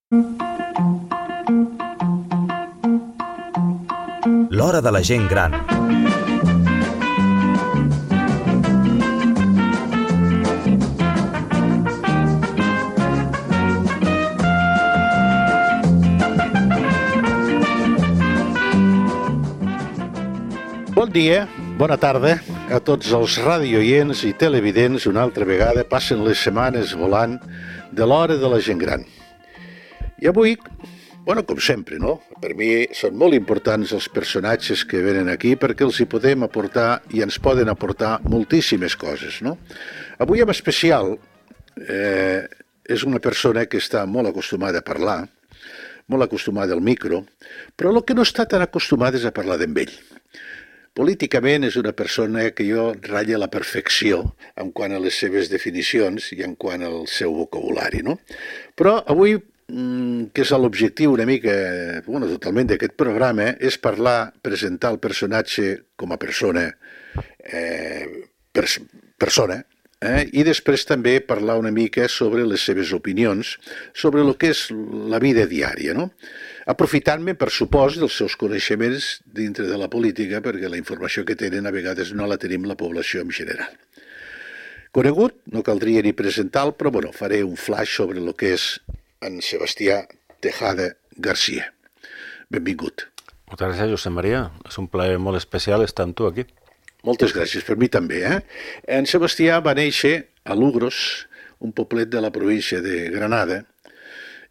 L'hora de la gent gran. Bon dia, bona tarda a tots els radioients i televidents. Una altra vegada passen les setmanes volant de l'hora de la gent gran. I avui, com sempre, no? Per mi són molt importants els personatges que venen aquí perquè els hi podem aportar i ens poden aportar moltíssimes coses, no? Avui en especial és una persona que està molt acostumada a parlar, molt acostumada al micro, però el que no està tan acostumada és a parlar d'en ell. Políticament és una persona que jo ratlla la perfecció en quant a les seves definicions i en quant al seu vocabulari, no? Però avui, que és l'objectiu una mica, totalment d'aquest programa, és parlar, presentar el personatge com a persona, i després també parlar una mica sobre les seves opinions, sobre el que és la vida diària, no? Aprofitant-me, per supòs, dels seus coneixements dintre de la política, perquè la informació que tenen a vegades no la tenim la població en general. Conegut, no caldria ni presentar-lo, però faré un flash sobre el que és en Sebastià Tejada García. Benvingut. Moltes gràcies, Josep Maria. És un plaer molt especial estar amb tu aquí. Moltes gràcies, per mi també. En Sebastià va néixer a Lugros, un poblet de la província de Granada,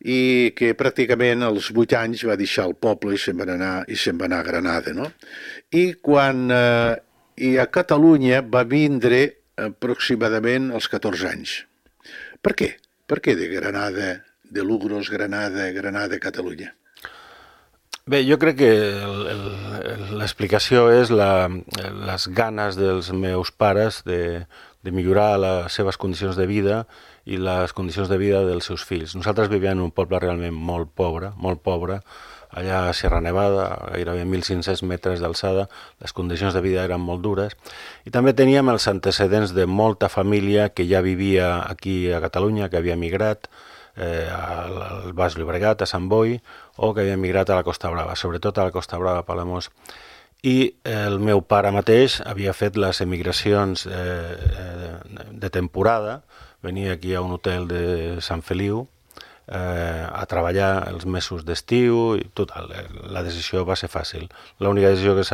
i que pràcticament als 8 anys va deixar el poble i se'n va anar a Granada, no? I a Catalunya va vindre aproximadament als 14 anys. Per què? Per què de Granada, de Lugros, Granada, Catalunya? Bé, jo crec que l'explicació és les ganes dels meus pares de millorar les seves condicions de vida i les condicions de vida dels seus fills. Nosaltres vivíem en un poble realment molt pobre, allà a Sierra Nevada, gairebé 1.500 metres d'alçada. Les condicions de vida eren molt dures i també teníem els antecedents de molta família que ja vivia aquí a Catalunya, que havia migrat al Baix Llobregat, a Sant Boi, o que havia migrat a la Costa Brava, sobretot a la Costa Brava, a Palamós. I el meu pare mateix havia fet les emigracions de temporada, venia aquí a un hotel de Sant Feliu a treballar els mesos d'estiu i total, la decisió va ser fàcil. L'única decisió que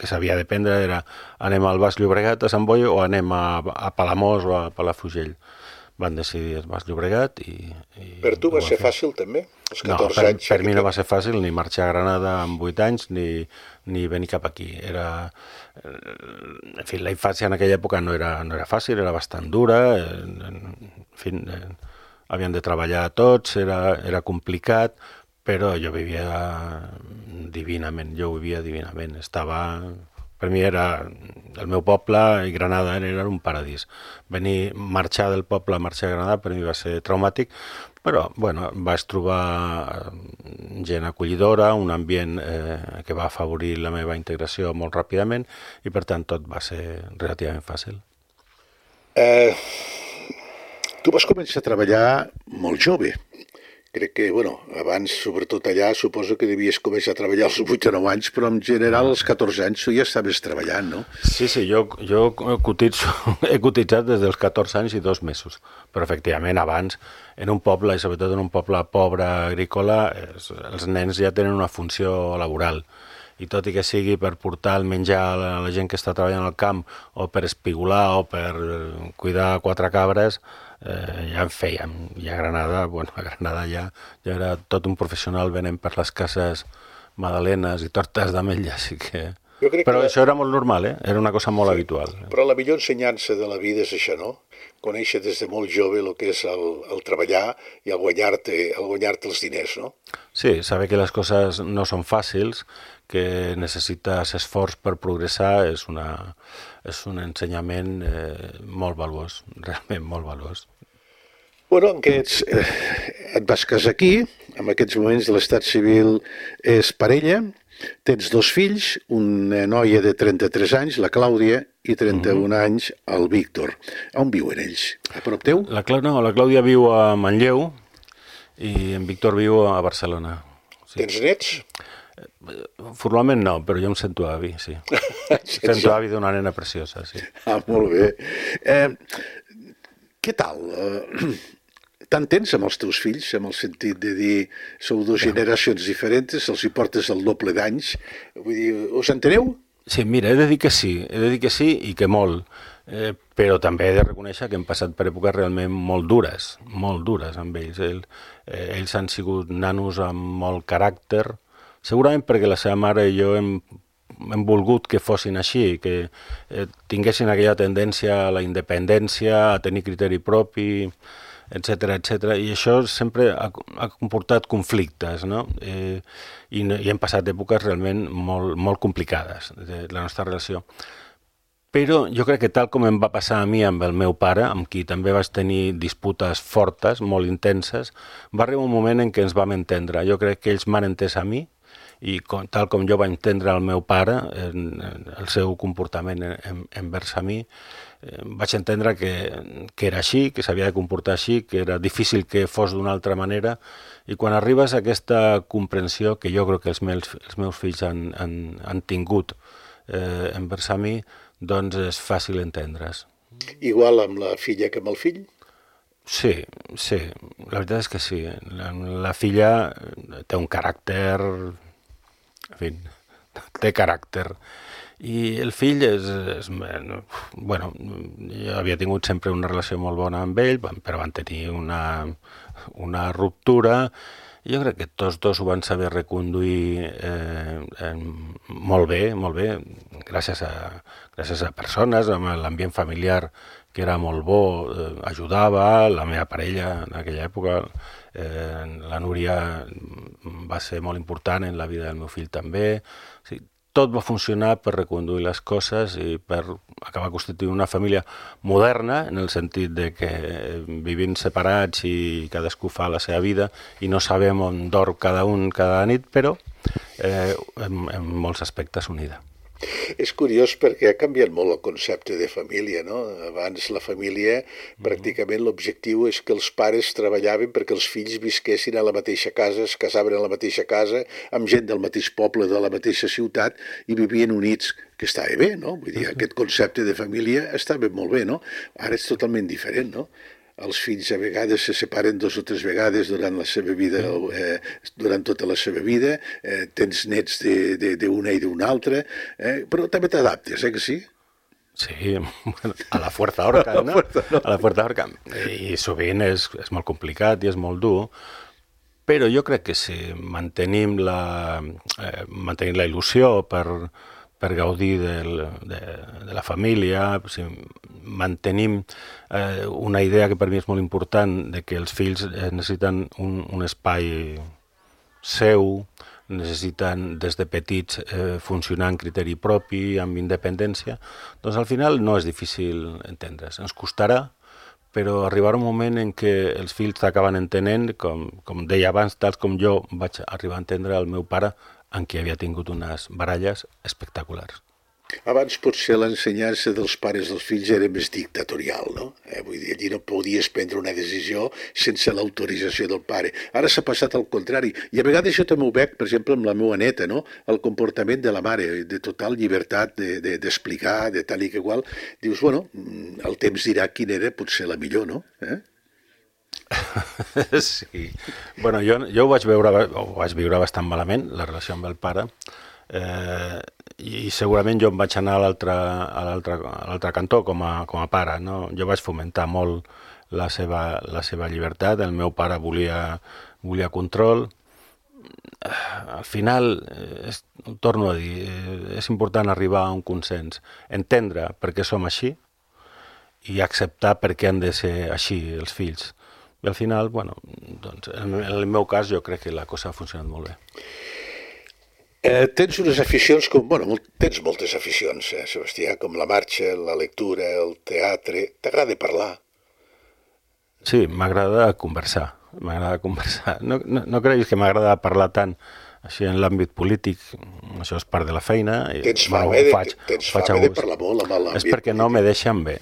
s'havia de prendre era anem al Baix Llobregat, a Sant Boi, o anem a Palamós o a Palafrugell. Van decidir el Baix Llobregat i per tu va ser fàcil també? No, per mi no va ser fàcil ni marxar a Granada amb 8 anys ni venir cap aquí. En fi, la infància en aquella època no era fàcil, era bastant dura, havien de treballar tots, era complicat, però jo vivia divinament, per mi el meu poble i Granada era un paradís. Marxar del poble, marxar a Granada, per mi va ser traumàtic, però vaig trobar gent acollidora, un ambient que va afavorir la meva integració molt ràpidament i per tant tot va ser relativament fàcil. Tu vas començar a treballar molt jove. Crec que, abans, sobretot allà, suposo que devies començar a treballar als 8 o 9 anys, però en general als 14 anys tu ja estaves treballant, no? Sí, jo he cotitzat des dels 14 anys i 2 mesos, però efectivament abans, en un poble, i sobretot en un poble pobre agrícola, els nens ja tenen una funció laboral, i tot i que sigui per portar el menjar a la gent que està treballant al camp, o per espigolar, o per cuidar 4 cabres, ja en fèiem, i a Granada ja era tot un professional venent per les cases magdalenes i tortes d'ametlla, així que... Però això era molt normal, era una cosa molt habitual. Però la millor ensenyança de la vida és això, no? Conèixer des de molt jove el que és el treballar i el guanyar-te els diners, no? Sí, saber que les coses no són fàcils, que necessites esforç per progressar, és un ensenyament molt valuós, realment molt valuós. Et vas casar aquí, en aquests moments l'estat civil és parella, tens 2 fills, una noia de 33 anys, la Clàudia, i 31 anys el Víctor. On viuen ells? A prop teu? La Clàudia viu a Manlleu i en Víctor viu a Barcelona. Sí. Tens nets? Formalment no, però jo em sento avi, sí. Sento avi d'una nena preciosa, sí. Molt bé. Què tal? T'entens amb els teus fills, amb el sentit de dir sou dues generacions diferents, els hi portes el doble d'anys, vull dir, us enteneu? Sí, mira, he de dir que sí i que molt, però també he de reconèixer que hem passat per èpoques realment molt dures amb ells. Ells han sigut nanos amb molt caràcter, segurament perquè la seva mare i jo hem volgut que fossin així, que tinguessin aquella tendència a la independència, a tenir criteri propi, etc. I això sempre ha comportat conflictes, no? I hem passat èpoques realment molt complicades de la nostra relació. Però jo crec que tal com em va passar a mi amb el meu pare, amb qui també vaig tenir disputes fortes, molt intenses, va arribar un moment en què ens vam entendre. Jo crec que ells m'han entès a mi, i tal com jo vaig entendre el meu pare, el seu comportament envers a mi, vaig entendre que era així, que s'havia de comportar així, que era difícil que fos d'una altra manera, i quan arribes a aquesta comprensió que jo crec que els meus fills han tingut envers a mi, doncs és fàcil entendre's. Igual amb la filla que amb el fill? Sí, la veritat és que sí. La filla té un caràcter, en fi, té caràcter. I el fill bueno, jo havia tingut sempre una relació molt bona amb ell, però van tenir una ruptura. Jo crec que tots dos ho van saber reconduir molt bé, gràcies a persones, amb l'ambient familiar que era molt bo, ajudava, la meva parella en aquella època, la Núria va ser molt important en la vida del meu fill també. O sigui, tot va funcionar per reconduir les coses i per acabar constituint una família moderna, en el sentit de que vivim separats i cadascú fa la seva vida i no sabem on dorm cada un cada nit, però en molts aspectes unida. És curiós perquè ha canviat molt el concepte de família, no? Abans la família, pràcticament l'objectiu és que els pares treballaven perquè els fills visquessin a la mateixa casa, es casaven a la mateixa casa, amb gent del mateix poble, de la mateixa ciutat, i vivien units, que estava bé, no? Vull dir, aquest concepte de família estava molt bé, no? Ara és totalment diferent, no? Els fills a vegades se separen 2 o 3 vegades durant la seva vida, durant tota la seva vida, tens nets d'una i d'una altra, però també t'adaptes, que sí? Sí, bueno, a la fuerza horca, no? A la fuerza horca. I sovint és molt complicat i és molt dur, però jo crec que si mantenim la il·lusió per gaudir de la família, si mantenim una idea que per mi és molt important de que els fills necessiten un espai seu, necessiten des de petits funcionar en criteri propi, amb independència, doncs al final no és difícil entendre's. Ens costarà, però arribarà un moment en què els fills t'acaben entenent, com deia abans, tal com jo vaig arribar a entendre el meu pare, en qui havia tingut unes baralles espectaculars. Abans potser l'ensenyança dels pares dels fills era més dictatorial, no? Vull dir, allí no podies prendre una decisió sense l'autorització del pare. Ara s'ha passat al contrari. I a vegades jo també ho veig, per exemple, amb la meva neta, no? El comportament de la mare, de total llibertat d'explicar, de tal i que igual. Dius, bueno, el temps dirà quina era potser la millor, no? Sí. Bueno, jo ho vaig viure bastant malament, la relació amb el pare, i segurament jo em vaig anar a l'altre cantó com a pare, no? Jo vaig fomentar molt la seva llibertat, el meu pare volia control. Al final, ho torno a dir, és important arribar a un consens, entendre per què som així i acceptar per què han de ser així els fills. I al final, bueno, doncs, en el meu cas jo crec que la cosa ha funcionat molt bé. Tens unes aficions tens moltes aficions, Sebastià, com la marxa, la lectura, el teatre. T'agrada parlar? Sí, m'agrada conversar. No creguis que m'agrada parlar tant Així en l'àmbit polític, això és part de la feina. Tens fama de parlar molt amb l'àmbit. És perquè no me deixen bé,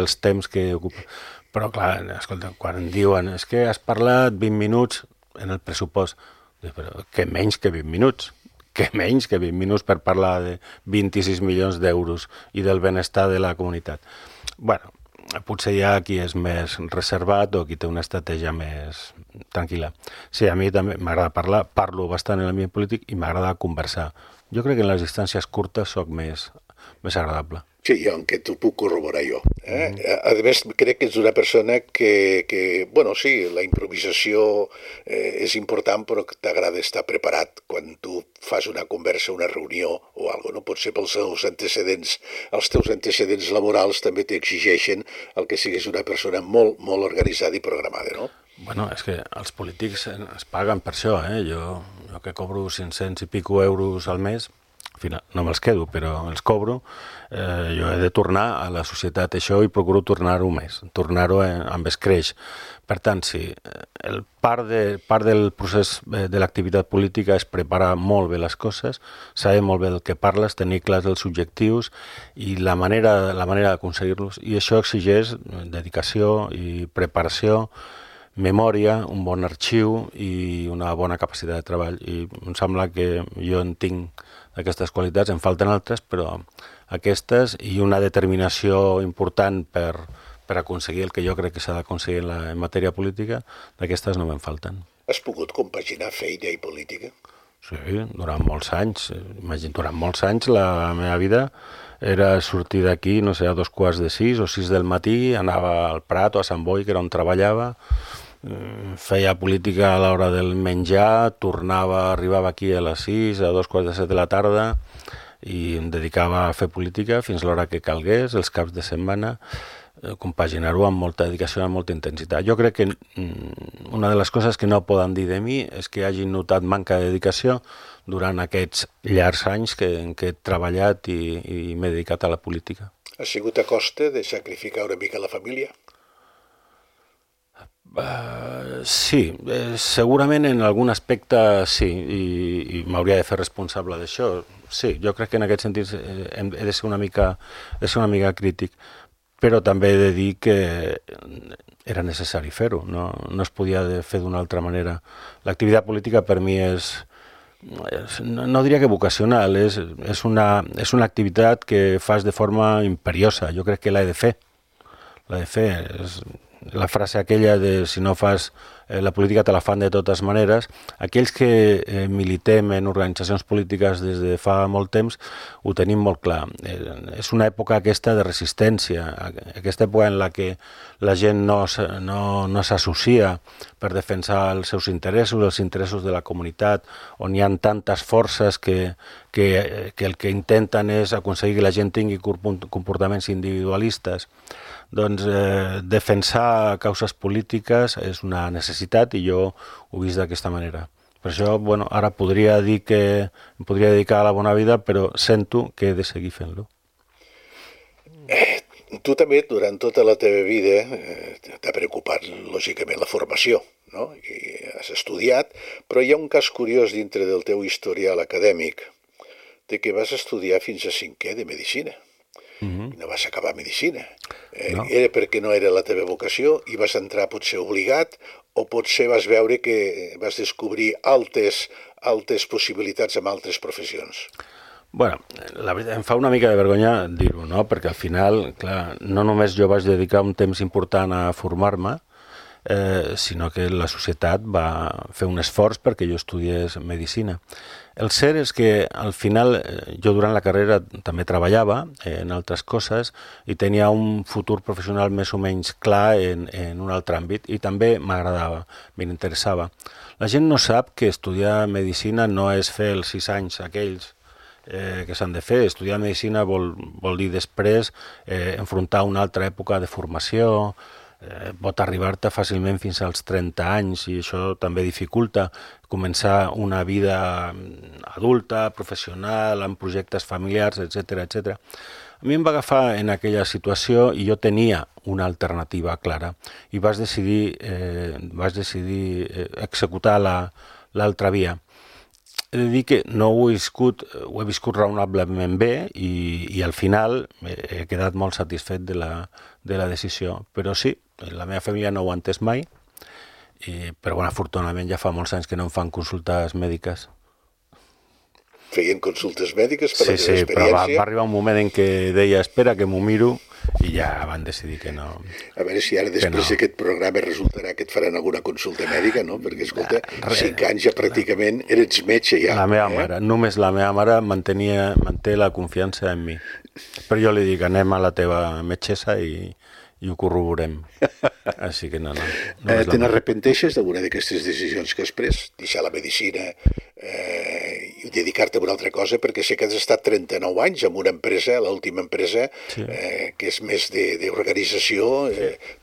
els temps que ocupa. Però clar, escolta, quan em diuen és que has parlat 20 minuts en el pressupost, però què menys que 20 minuts? Què menys que 20 minuts per parlar de 26 milions d'euros i del benestar de la comunitat? Bueno, potser hi ha qui és més reservat o qui té una estratègia més tranquil·la. Sí, a mi també m'agrada parlar, parlo bastant en l'ambient polític i m'agrada conversar. Jo crec que en les distàncies curtes soc més agradable. Sí, aunque t'ho puc corroborar jo. A més, crec que ets una persona que bueno, sí, la improvisació és important, però que t'agrada estar preparat quan tu fas una conversa, una reunió o alguna cosa, no? Potser pels teus antecedents laborals també t'exigeixen el que siguis una persona molt, molt organitzada i programada, no? Bueno, és que els polítics es paguen per això, Jo que cobro 500 i pico euros al mes, al final no me'ls quedo, però els cobro, jo he de tornar a la societat això i procuro tornar-ho més, tornar-ho amb escreix. Per tant, sí, part del procés de l'activitat política és preparar molt bé les coses, saber molt bé del que parles, tenir clars els objectius i la manera d'aconseguir-los. I això exigeix dedicació i preparació, memòria, un bon arxiu i una bona capacitat de treball. I em sembla que jo en tinc d'aquestes qualitats, en falten altres, però aquestes i una determinació important per aconseguir el que jo crec que s'ha d'aconseguir en matèria política, d'aquestes no me'n falten. Has pogut compaginar feina i política? Sí, durant molts anys. Durant molts anys la meva vida era sortir d'aquí, no sé, a 5:15 o 6 del matí, anava al Prat o a Sant Boi, que era on treballava, feia política a l'hora del menjar, arribava aquí a les 6, a 2:15 de la tarda, i em dedicava a fer política fins a l'hora que calgués, els caps de setmana, compaginar-ho amb molta dedicació, amb molta intensitat. Jo crec que una de les coses que no poden dir de mi és que hagin notat manca de dedicació durant aquests llargs anys en què he treballat i m'he dedicat a la política. Ha sigut a costa de sacrificar una mica la família? Sí, segurament en algun aspecte sí, i m'hauria de fer responsable d'això. Sí, jo crec que en aquest sentit he de ser una mica crític, però també he de dir que era necessari fer-ho, no es podia fer d'una altra manera. L'activitat política per mi no diria que vocacional, és una activitat que fas de forma imperiosa. Jo crec que l'he de fer. És la frase aquella de si no fas la política te la fan de totes maneres. Aquells que militem en organitzacions polítiques des de fa molt temps ho tenim molt clar. És una època aquesta de resistència, aquesta època en la que la gent no s'associa per defensar els seus interessos, els interessos de la comunitat, on hi ha tantes forces que el que intenten és aconseguir que la gent tingui comportaments individualistes. Doncs defensar causes polítiques és una necessitat i jo ho he vist d'aquesta manera. Per això, ara podria dir que em podria dedicar a la bona vida, però sento que he de seguir fent-lo. Tu també, durant tota la teva vida, t'ha preocupat, lògicament, la formació, no? I has estudiat, però hi ha un cas curiós dintre del teu historial acadèmic, de que vas estudiar fins a 5è de Medicina. I no vas acabar Medicina. No. Era perquè no era la teva vocació i vas entrar potser obligat o potser vas veure que vas descobrir altes possibilitats amb altres professions? La veritat, em fa una mica de vergonya dir-ho, no? Perquè al final, clar, no només jo vaig dedicar un temps important a formar-me, sinó que la societat va fer un esforç perquè jo estudiés Medicina. El cert és que al final jo durant la carrera també treballava en altres coses i tenia un futur professional més o menys clar en un altre àmbit i també m'agradava, m'interessava. La gent no sap que estudiar Medicina no és fer els 6 anys aquells que s'han de fer. Estudiar Medicina vol dir després enfrontar una altra època de formació, pot arribar-te fàcilment fins als 30 anys i això també dificulta començar una vida adulta, professional, amb projectes familiars, etc. A mi em va agafar en aquella situació i jo tenia una alternativa clara i vaig decidir executar l'altra via. he de dir que no ho he viscut raonablement bé i al final he quedat molt satisfet de la decisió. Però sí, la meva família no ho ha entès mai, però bueno, afortunadament ja fa molts anys que no em fan consultes mèdiques. Feien consultes mèdiques per la teva Sí, però va experiència? arribar un moment en què deia espera que m'ho miro i ja van decidir que no. A veure si ara després d'aquest programa resultarà que et faran alguna consulta mèdica, no? Perquè, escolta, 5 anys ja pràcticament eres metge ja. La meva mare, només la meva mare manté la confiança en mi. Però jo li dic, anem a la teva metgessa i ho corroborem. Així que no. Te n'arrepenteixes d'alguna d'aquestes decisions que has pres? Deixar la medicina i dedicar-te a una altra cosa? Perquè sé que has estat 39 anys en una empresa, l'última empresa, que és més d'organització.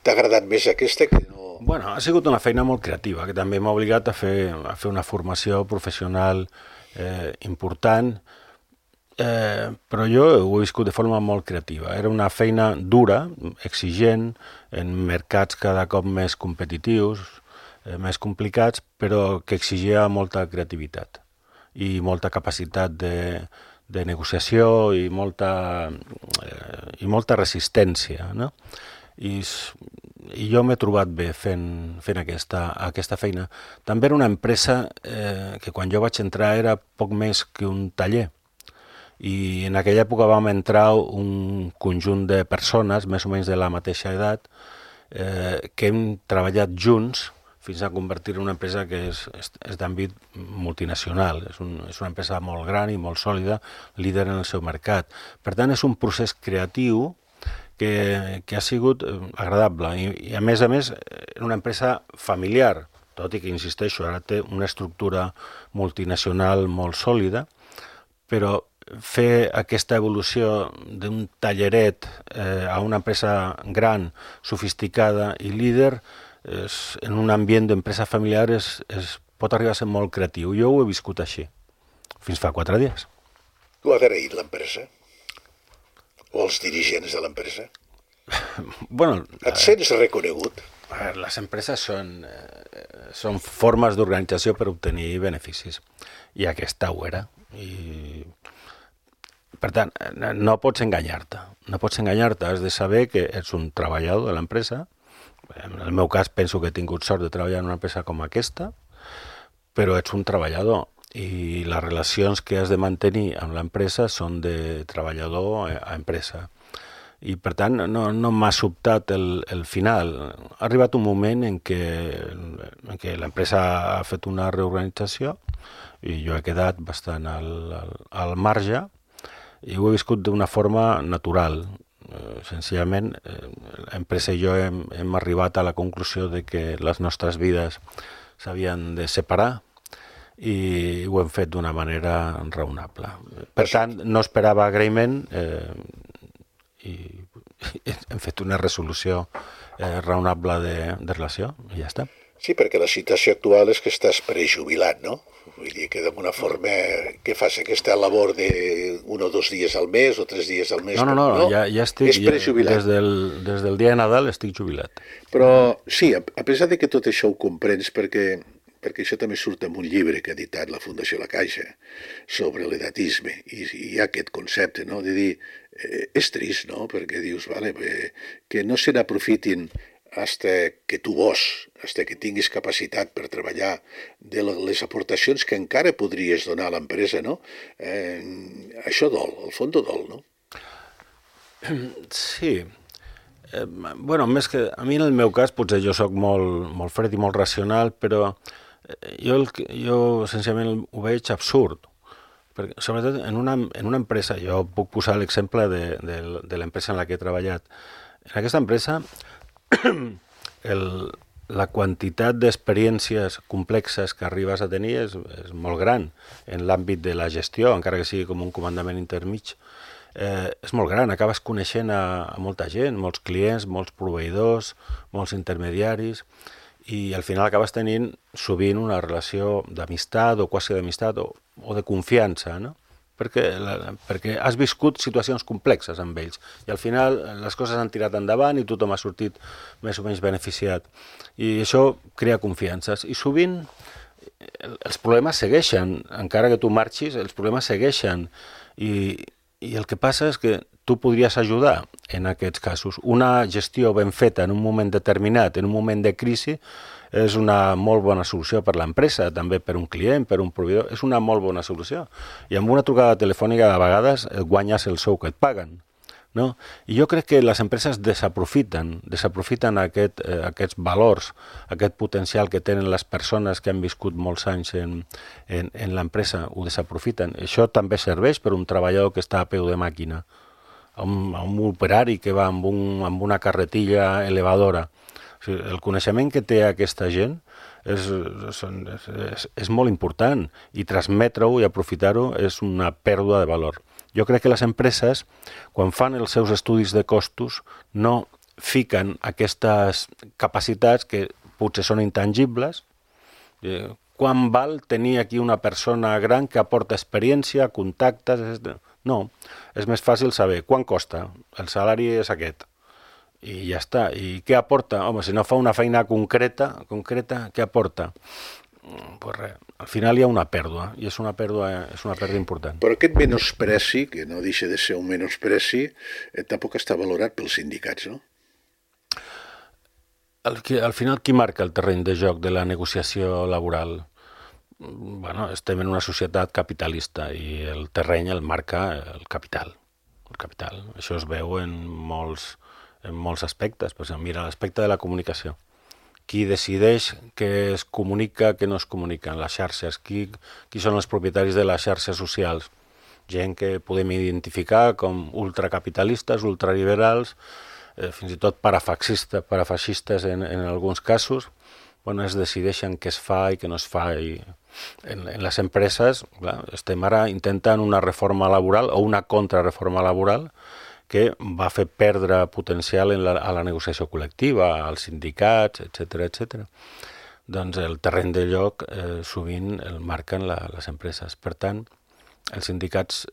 T'ha agradat més aquesta que no? Bueno, ha sigut una feina molt creativa, que també m'ha obligat a fer una formació professional important, però jo ho he viscut de forma molt creativa. Era una feina dura, exigent, en mercats cada cop més competitius, més complicats, però que exigia molta creativitat i molta capacitat de negociació i molta resistència, no? I jo m'he trobat bé fent aquesta feina. També era una empresa que quan jo vaig entrar era poc més que un taller. I en aquella època vam entrar un conjunt de persones, més o menys de la mateixa edat, que hem treballat junts fins a convertir en una empresa que és d'àmbit multinacional. És una empresa molt gran i molt sòlida, líder en el seu mercat. Per tant, és un procés creatiu que ha sigut agradable. I a més, era una empresa familiar, tot i que, insisteixo, ara té una estructura multinacional molt sòlida, però fer aquesta evolució d'un talleret a una empresa gran, sofisticada i líder en un ambient d'empresa familiar pot arribar a ser molt creatiu. Jo ho he viscut així, fins fa 4 dies. Tu has agraït l'empresa? O els dirigents de l'empresa? Bueno, et sents reconegut? Les empreses són formes d'organització per obtenir beneficis, i aquesta ho era. Per tant, no pots enganyar-te. Has de saber que ets un treballador de l'empresa. En el meu cas penso que he tingut sort de treballar en una empresa com aquesta, però ets un treballador i les relacions que has de mantenir amb l'empresa són de treballador a empresa. I per tant no m'ha sobtat el final. Ha arribat un moment en què l'empresa ha fet una reorganització i jo he quedat bastant al marge i ho he viscut d'una forma natural. Senzillament, l'empresa i jo hem arribat a la conclusió de que les nostres vides s'havien de separar i ho hem fet d'una manera raonable. Per tant, no esperava agraïment i hem fet una resolució raonable de relació i ja està. Sí, perquè la situació actual és que estàs prejubilat, no? Vull dir que d'alguna forma que fas aquesta labor de 1 o 2 dies al mes o 3 dies al mes. No, ja estic, és prejubilat. Des del dia de Nadal estic jubilat. Però sí, a pesar de que tot això ho comprens, perquè això també surt en un llibre que ha editat la Fundació La Caixa sobre l'edatisme, i hi ha aquest concepte, no?, de dir, és trist, no?, perquè dius, vale, que no se n'aprofitin hasta que tu vols, hasta que tinguis capacitat per treballar, de les aportacions que encara podries donar a l'empresa, no? Això dol, al fons dol, no? Sí. Bueno, més que a mi en el meu cas, potser jo sóc molt fred i molt racional, però jo senzillament ho veig absurd. Perquè, sobretot en una empresa, jo puc posar l'exemple de l'empresa en la que he treballat. En aquesta empresa la quantitat d'experiències complexes que arribes a tenir és molt gran en l'àmbit de la gestió, encara que sigui com un comandament intermig. És molt gran, acabes coneixent a molta gent, molts clients, molts proveïdors, molts intermediaris, i al final acabes tenint sovint una relació d'amistat o quasi d'amistat o de confiança, no? Perquè has viscut situacions complexes amb ells i al final les coses han tirat endavant i tothom ha sortit més o menys beneficiat. I això crea confiances. I sovint els problemes segueixen, encara que tu marxis, els problemes segueixen, i el que passa és que tu podries ajudar en aquests casos. Una gestió ben feta en un moment determinat, en un moment de crisi, és una molt bona solució per l'empresa, també per un client, per un proveïdor, és una molt bona solució. I amb una trucada telefònica a vegades guanyes el sou que et paguen. No? I jo crec que les empreses desaprofiten aquests valors, aquest potencial que tenen les persones que han viscut molts anys en l'empresa, ho desaprofiten. Això també serveix per un treballador que està a peu de màquina, a un operari que va amb una carretilla elevadora. O sigui, el coneixement que té aquesta gent és molt important, i transmetre-ho i aprofitar-ho és una pèrdua de valor. Jo crec que les empreses, quan fan els seus estudis de costos, no fiquen aquestes capacitats que potser són intangibles. Quan val tenir aquí una persona gran que aporta experiència, contactes? No, és més fàcil saber quan costa, el salari és aquest, i ja està. I què aporta? Home, si no fa una feina concreta, què aporta? Pues res, al final hi ha una pèrdua, i és una pèrdua important. Però aquest menospreci, que no deixa de ser un menospreci, tampoc està valorat pels sindicats, no? Al final, qui marca el terreny de joc de la negociació laboral? Bueno, estem en una societat capitalista i el terreny el marca el capital. Això es veu en molts aspectes. Per exemple, mira, l'aspecte de la comunicació. Qui decideix què es comunica, què no es comunica en les xarxes, qui són els propietaris de les xarxes socials, gent que podem identificar com ultracapitalistes, ultraliberals, fins i tot parafeixistes en alguns casos. Bueno, es decideixen què es fa i què no es fa. I en les empreses, clar, estem ara intentant una reforma laboral o una contrarreforma laboral que va fer perdre potencial a la negociació col·lectiva, als sindicats, etc. Doncs el terreny de lloc sovint el marquen les empreses. Per tant, els sindicats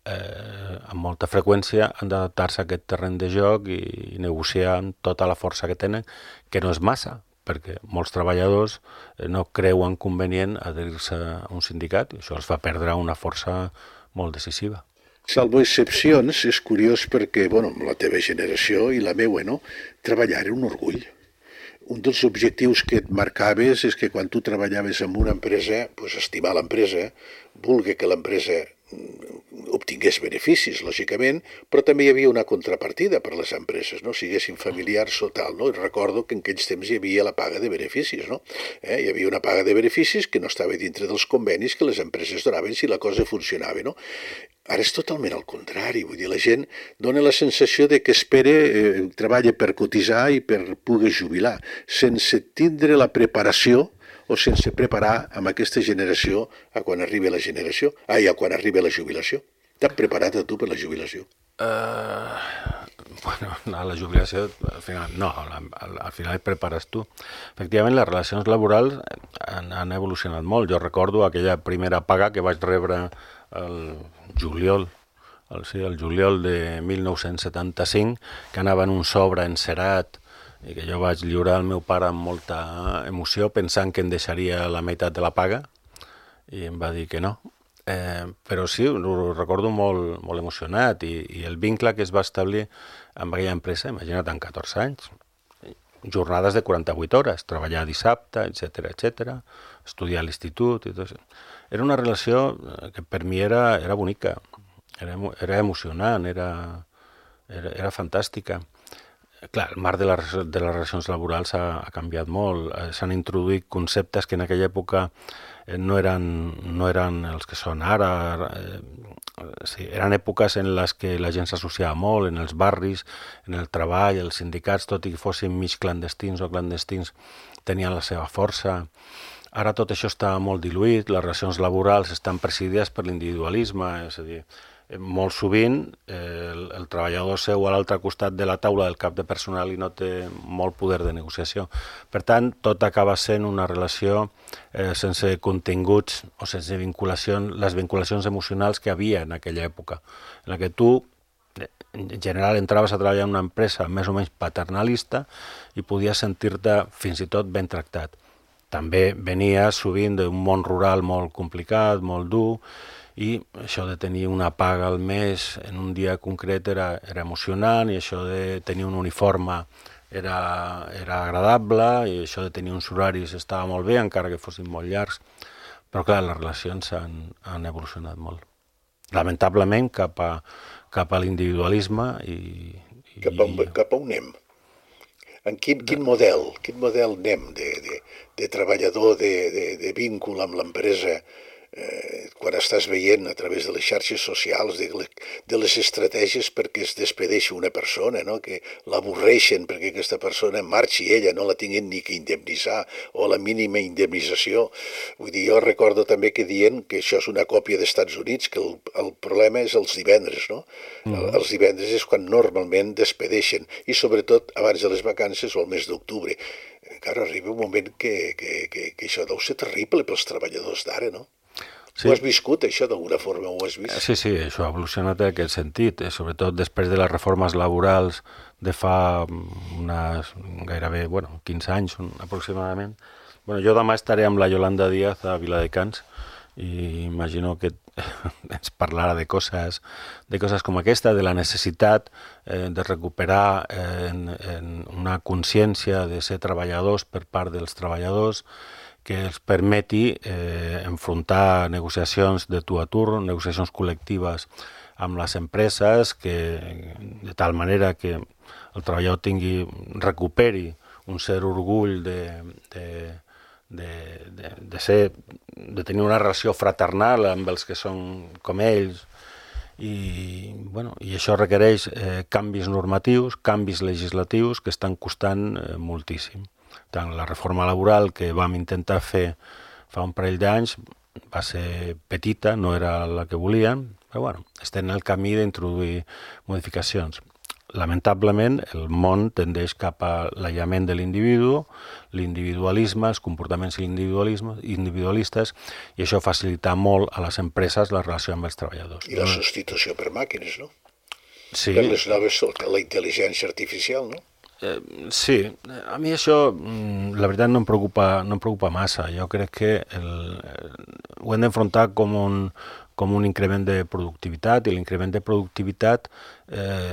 amb molta freqüència han d'adaptar-se a aquest terreny de joc i negociar amb tota la força que tenen, que no és massa, perquè molts treballadors no creuen convenient adherir-se a un sindicat, i això els fa perdre una força molt decisiva. Salvo excepcions, és curiós perquè, la teva generació i la meua, no? Treballar era un orgull. Un dels objectius que et marcaves és que quan tu treballaves en una empresa, estimar l'empresa, voler que l'empresa obtingués beneficis, lògicament, però també hi havia una contrapartida per les empreses, no? Siguessin familiars o tal, no? I recordo que en aquells temps hi havia la paga de beneficis, no? Hi havia una paga de beneficis que no estava dintre dels convenis que les empreses donaven si la cosa funcionava, no? Ara és totalment al contrari, vull dir, la gent dona la sensació de que treballa per cotitzar i per poder jubilar, sense tindre la preparació o sense preparar amb aquesta generació a quan arribi la jubilació. T'has preparat a tu per la jubilació? La jubilació, al final, no, al final et prepares tu. Efectivament, les relacions laborals han evolucionat molt. Jo recordo aquella primera paga que vaig rebre el juliol de 1975, que anava en un sobre encerat i que jo vaig lliurar al meu pare amb molta emoció, pensant que em deixaria la meitat de la paga, i em va dir que no. Però sí, ho recordo molt, molt emocionat, i el vincle que es va establir amb aquella empresa, imagina't, en 14 anys, jornades de 48 hores, treballar dissabte, etc, estudiar a l'institut i tot això. Era una relació que per mi era bonica, era emocionant, era fantàstica. Clar, el marc de les relacions laborals ha canviat molt. S'han introduït conceptes que en aquella època no eren els que són ara. Eren èpoques en les que la gent s'associava molt, en els barris, en el treball, els sindicats, tot i que fossin mig clandestins o clandestins, tenien la seva força. Ara tot això està molt diluït, les relacions laborals estan presidides per l'individualisme, és a dir, molt sovint el treballador seu a l'altre costat de la taula del cap de personal i no té molt poder de negociació. Per tant, tot acaba sent una relació sense continguts o sense les vinculacions emocionals que havia en aquella època, en la que tu, en general, entraves a treballar en una empresa més o menys paternalista i podies sentir-te fins i tot ben tractat. també venia sovint d'un món rural molt complicat, molt dur, i això de tenir una paga al mes en un dia concret era emocionant, i això de tenir un uniforme era agradable, i això de tenir uns horaris estava molt bé, encara que fossin molt llargs, però clar, les relacions han evolucionat molt. Lamentablement cap a l'individualisme i cap a on anem? En quin model anem de treballador, de víncul amb l'empresa, quan estàs veient a través de les xarxes socials, de les estratègies perquè es despedeixi una persona, no? Que l'avorreixen perquè aquesta persona marxi, ella no la tinguin ni que indemnitzar, o la mínima indemnització. Vull dir, jo recordo també que diuen que això és una còpia d'Estats Units, que el problema és els divendres, no? Els divendres és quan normalment despedeixen, i sobretot abans de les vacances o el mes d'octubre. Encara arriba un moment que això deu ser terrible pels treballadors d'ara, no? Sí. Ho has viscut, això, d'alguna forma ho has vist? Sí, això ha evolucionat en aquest sentit, sobretot després de les reformes laborals de fa gairebé 15 anys aproximadament. Jo demà estaré amb la Yolanda Díaz a Viladecans i imagino que ens parlarà de coses com aquesta, de la necessitat de recuperar una consciència de ser treballadors per part dels treballadors, que els permeti enfrontar negociacions de tu a tu, negociacions col·lectives amb les empreses, de tal manera que el treballador recuperi un cert orgull de tenir una relació fraternal amb els que són com ells, i això requereix canvis normatius, canvis legislatius que estan costant moltíssim. Tant la reforma laboral que vam intentar fer fa un parell d'anys va ser petita, no era la que volíem, però estem en el camí d'introduir modificacions. Lamentablement, el món tendeix cap a l'aïllament de l'individu, l'individualisme, els comportaments individualistes, i això facilita molt a les empreses la relació amb els treballadors. I la substitució per màquines, no? Sí. Per les noves, la intel·ligència artificial, no? Sí, a mi això, la veritat, no em preocupa massa. Jo crec que ho hem d'enfrontar com un increment de productivitat, i l'increment de productivitat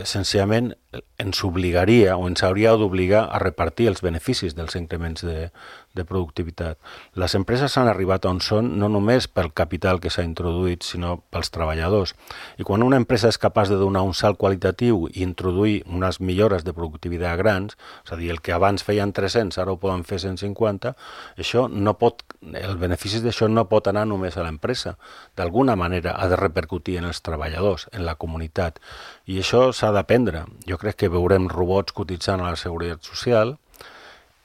senzillament ens obligaria o ens hauria d'obligar a repartir els beneficis dels increments de productivitat. Les empreses han arribat on són no només pel capital que s'ha introduït, sinó pels treballadors. I quan una empresa és capaç de donar un salt qualitatiu i introduir unes millores de productivitat grans, és a dir, el que abans feien 300 ara ho poden fer 150, el benefici d'això no pot anar només a l'empresa. D'alguna manera ha de repercutir en els treballadors, en la comunitat. I això s'ha d'aprendre. Jo crec que veurem robots cotitzant a la Seguretat Social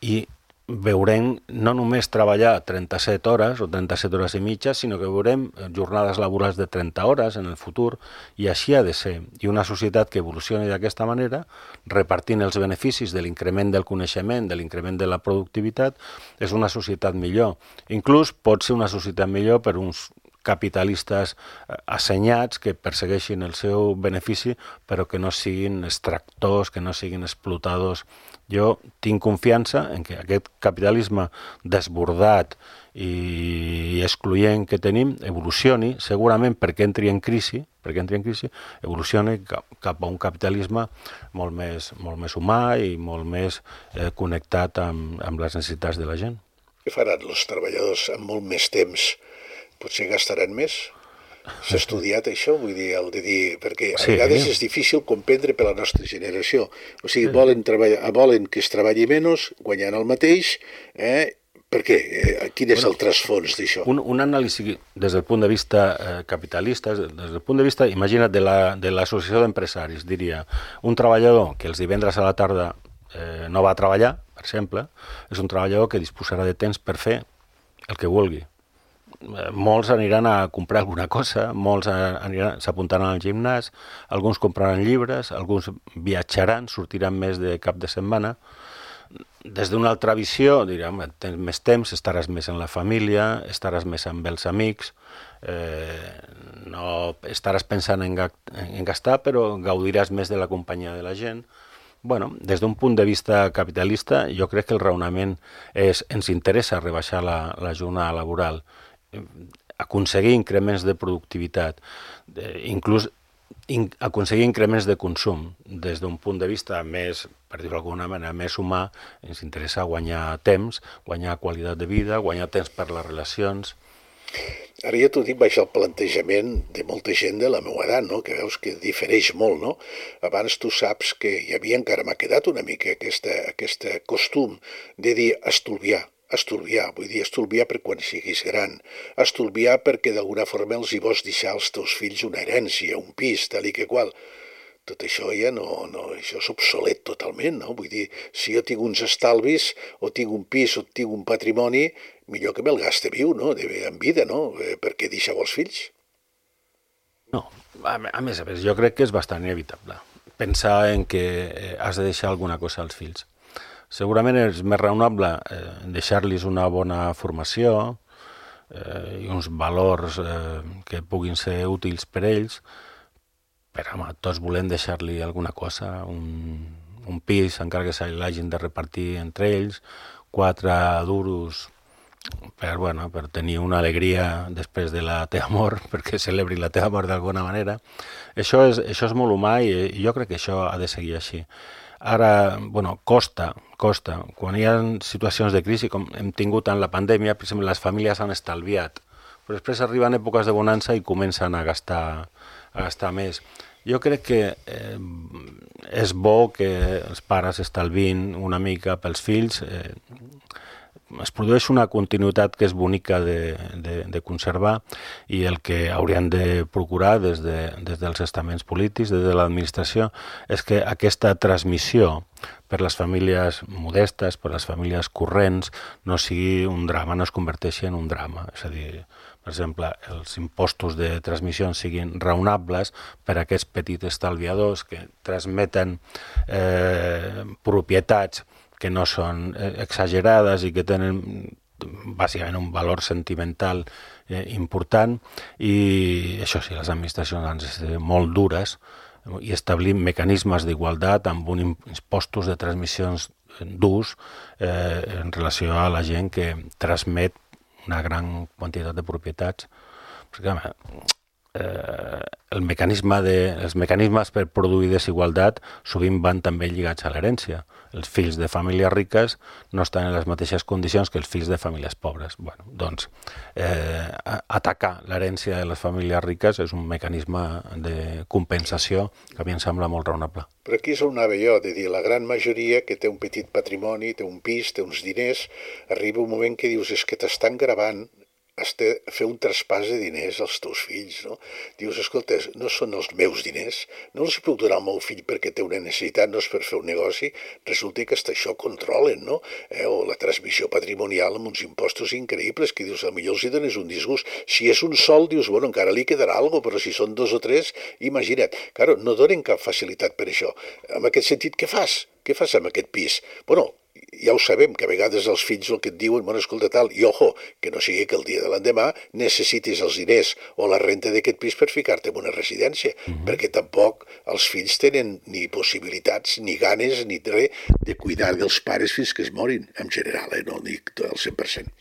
i veurem no només treballar 37 hores o 37 hores i mitja, sinó que veurem jornades laborals de 30 hores en el futur, i així ha de ser. I una societat que evolucioni d'aquesta manera, repartint els beneficis de l'increment del coneixement, de l'increment de la productivitat, és una societat millor. Inclús pot ser una societat millor per uns capitalistes assenyats que persegueixin el seu benefici, però que no siguin extractors, que no siguin explotadors. Jo tinc confiança en que aquest capitalisme desbordat i excloent que tenim evolucioni, segurament perquè entri en crisi, evolucioni cap a un capitalisme molt més humà i molt més connectat amb les necessitats de la gent. Què faran els treballadors amb molt més temps? Potser gastaran més? S'ha estudiat això? Vull dir, perquè a vegades és difícil comprendre per la nostra generació. O sigui, volen que es treballi menys, guanyant el mateix, per què? Quin és el trasfons d'això? Un anàlisi des del punt de vista capitalista, des del punt de vista, imagina't, de l'associació d'empresaris, diria, un treballador que els divendres a la tarda no va a treballar, per exemple, és un treballador que disposarà de temps per fer el que vulgui. Molts aniran a comprar alguna cosa, molts s'apuntaran al gimnàs, alguns compraran llibres, alguns viatjaran, sortiran més de cap de setmana. Des d'una altra visió, diran, tens més temps, estaràs més en la família, estaràs més amb els amics, no estaràs pensant en gastar, però gaudiràs més de la companyia de la gent. Bueno, des d'un punt de vista capitalista, jo crec que el raonament és ens interessa rebaixar la jornada laboral, aconseguir increments de productivitat, inclús aconseguir increments de consum. Des d'un punt de vista més, per dir-ho d'alguna manera, més humà, ens interessa guanyar temps, guanyar qualitat de vida, guanyar temps per les relacions. Ara ja t'ho dic, baix el plantejament de molta gent de la meva edat, no? Que veus que difereix molt, no? Abans tu saps que hi havia, encara m'ha quedat una mica aquest costum de dir estalviar, vull dir, estalviar per quan siguis gran, estalviar perquè d'alguna forma els hi vols deixar als teus fills una herència, un pis, tal i que qual. Tot això ja no, això és obsolet totalment, no? Vull dir, si jo tinc uns estalvis, o tinc un pis, o tinc un patrimoni, millor que me'l gaste viu, no? En vida, no? Per què deixeu als fills? No, a més, jo crec que és bastant inevitable pensar en que has de deixar alguna cosa als fills. Segurament és més raonable deixar-los una bona formació i uns valors que puguin ser útils per ells, però home, tots volem deixar-li alguna cosa, un pis, encara que se l'hagin de repartir entre ells, 4 duros per tenir una alegria després de la teva mort, perquè celebri la teva mort d'alguna manera. Això és molt humà i jo crec que això ha de seguir així. Ara, costa. Quan hi ha situacions de crisi, com hem tingut en la pandèmia, per exemple, les famílies han estalviat, però després arriben èpoques de bonança i comencen a gastar més. Jo crec que és bo que els pares estalvin una mica pels fills. Es produeix una continuïtat que és bonica de conservar i el que haurien de procurar des dels estaments polítics, des de l'administració, és que aquesta transmissió per les famílies modestes, per les famílies corrents, no sigui un drama, no es converteixi en un drama. És a dir, per exemple, els impostos de transmissió siguin raonables per a aquests petits estalviadors que transmeten propietats que no són exagerades i que tenen bàsicament un valor sentimental important, i això sí, les administracions han de ser molt dures i establir mecanismes d'igualtat amb impostos de transmissions durs en relació a la gent que transmet una gran quantitat de propietats. Perquè, els mecanismes per produir desigualtat sovint van també lligats a l'herència. Els fills de famílies riques no estan en les mateixes condicions que els fills de famílies pobres. Atacar l'herència de les famílies riques és un mecanisme de compensació que a mi em sembla molt raonable. Però aquí és on anava jo, de dir, la gran majoria que té un petit patrimoni, té un pis, té uns diners, arriba un moment que dius, és que t'estan gravant, has de fer un traspàs de diners als teus fills, no? Dius, escolta, no són els meus diners, no els puc donar al meu fill perquè té una necessitat, no és per fer un negoci, resulta que hasta això controlen, no? O la transmissió patrimonial amb uns impostos increïbles, que dius, potser els hi dones un disgust. Si és un sol, dius, encara li quedarà alguna cosa, però si són 2 o 3, imagina't. Claro, no donen cap facilitat per això. En aquest sentit, què fas? Què fas amb aquest pis? Ja ho sabem, que a vegades els fills el que et diuen, escolta tal, i ojo, que no sigui que el dia de l'endemà necessitis els diners o la renta d'aquest pis per ficar-te en una residència, perquè tampoc els fills tenen ni possibilitats, ni ganes, ni res de cuidar dels pares fins que es morin, en general, no dic al 100%.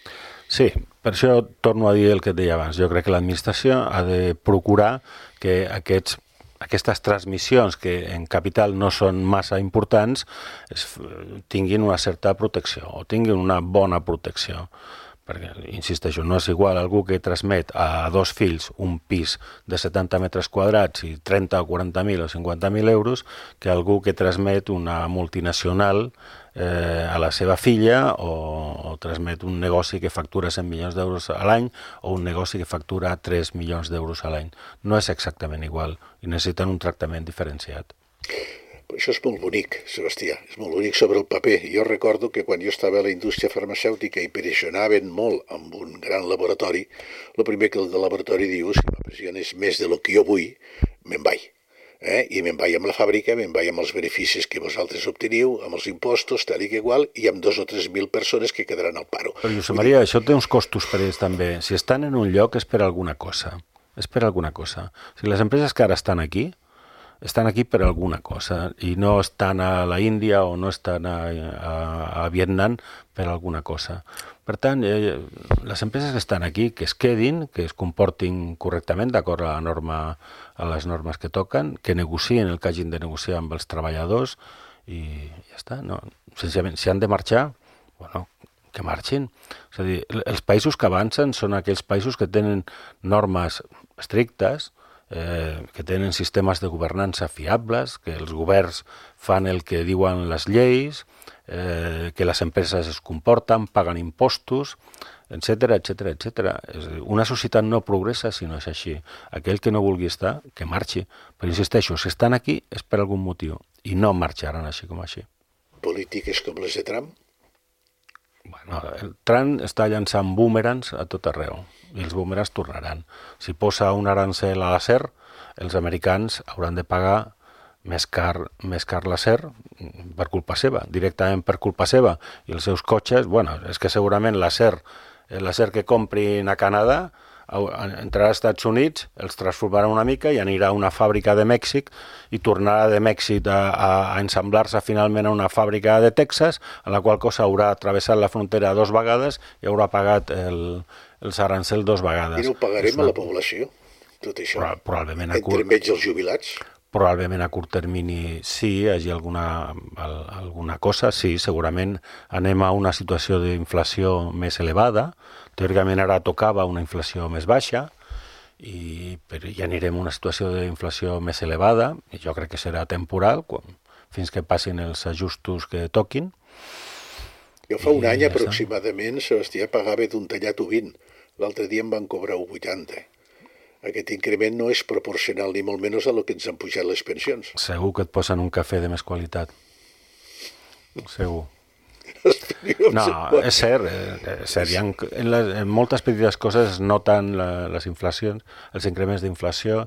Sí, per això torno a dir el que et deia abans. Jo crec que l'administració ha de procurar que aquestes transmissions que en capital no són massa importants tinguin una certa protecció o tinguin una bona protecció. Perquè, insisteixo, no és igual algú que transmet a 2 fills un pis de 70 metres quadrats i 30 o 40.000 o 50.000 euros que algú que transmet una multinacional a la seva filla o transmet un negoci que factura 100 milions d'euros a l'any o un negoci que factura 3 milions d'euros a l'any. No és exactament igual i necessiten un tractament diferenciat. Això és molt bonic, Sebastià, és molt bonic sobre el paper. Jo recordo que quan jo estava a la indústria farmacèutica i pressionaven molt amb un gran laboratori, el primer que el del laboratori diu, si m'pressiones més de lo que jo vull, me'n vaig. I me'n vaig amb la fàbrica, me'n vaig amb els beneficis que vosaltres obteniu, amb els impostos, tal i que igual, i amb 2 o 3.000 persones que quedaran al paro. Però, Josep Maria, això té uns costos per ells també. Si estan en un lloc és per alguna cosa. És per alguna cosa. Si les empreses que ara estan aquí estan aquí per alguna cosa i no estan a la Índia o no estan a Vietnam per alguna cosa. Per tant, les empreses que estan aquí, que es quedin, que es comportin correctament d'acord a les normes que toquen, que negocien el que hagin de negociar amb els treballadors i ja està. No? Senzillament, si han de marxar, bueno, que marxin. És a dir, els països que avancen són aquells països que tenen normes estrictes, que tenen sistemes de governança fiables, que els governs fan el que diuen les lleis, que les empreses es comporten, paguen impostos, etc etc. Una societat no progressa si no és així. Aquell que no vulgui estar, que marxi. Però insisteixo, si estan aquí és per algun motiu i no marxaran així com així. Polítiques com les de Trump? Bueno, el Trump està llançant boomerangs a tot arreu i els boomerangs tornaran. Si posa un arancel a l'acer, els americans hauran de pagar més car l'acer per culpa seva, directament per culpa seva. I els seus cotxes, bueno, és que segurament l'acer que comprin a Canadà entrarà als Estats Units, els transformarà una mica i anirà a una fàbrica de Mèxic i tornarà de Mèxic a ensamblar-se finalment a una fàbrica de Texas, en la qual cosa haurà travessat la frontera 2 vegades i haurà pagat els arancels 2 vegades. I no ho pagarem a la població, tot això? Probablement entremig els jubilats? Probablement a curt termini sí, hi hagi alguna cosa, sí, segurament anem a una situació d'inflació més elevada, teòricament ara tocava una inflació més baixa, però ja anirem a una situació d'inflació més elevada, i jo crec que serà temporal, fins que passin els ajustos que toquin. Jo fa un any aproximadament, Sebastià, pagava d'un tallat 20, l'altre dia em van cobrar 80. Aquest increment no és proporcional ni molt menys a lo que ens han pujat les pensions. Segur que et posen un cafè de més qualitat. Segur. No, és cert. En moltes petites coses es noten les inflacions, els increments d'inflació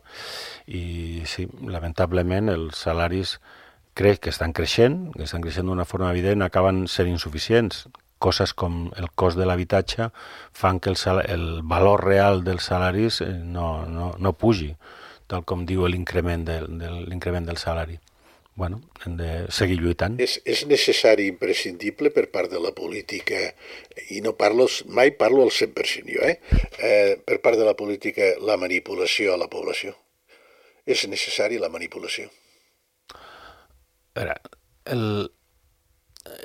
i sí, lamentablement els salaris crec que estan creixent d'una forma evident, acaben sent insuficients. Coses com el cost de l'habitatge fan que el valor real dels salaris no pugi, tal com diu l'increment del salari. Bueno, hem de seguir lluitant. És necessari, imprescindible per part de la política, i mai parlo al 100% jo, per part de la política, la manipulació a la població. És necessari la manipulació. A veure,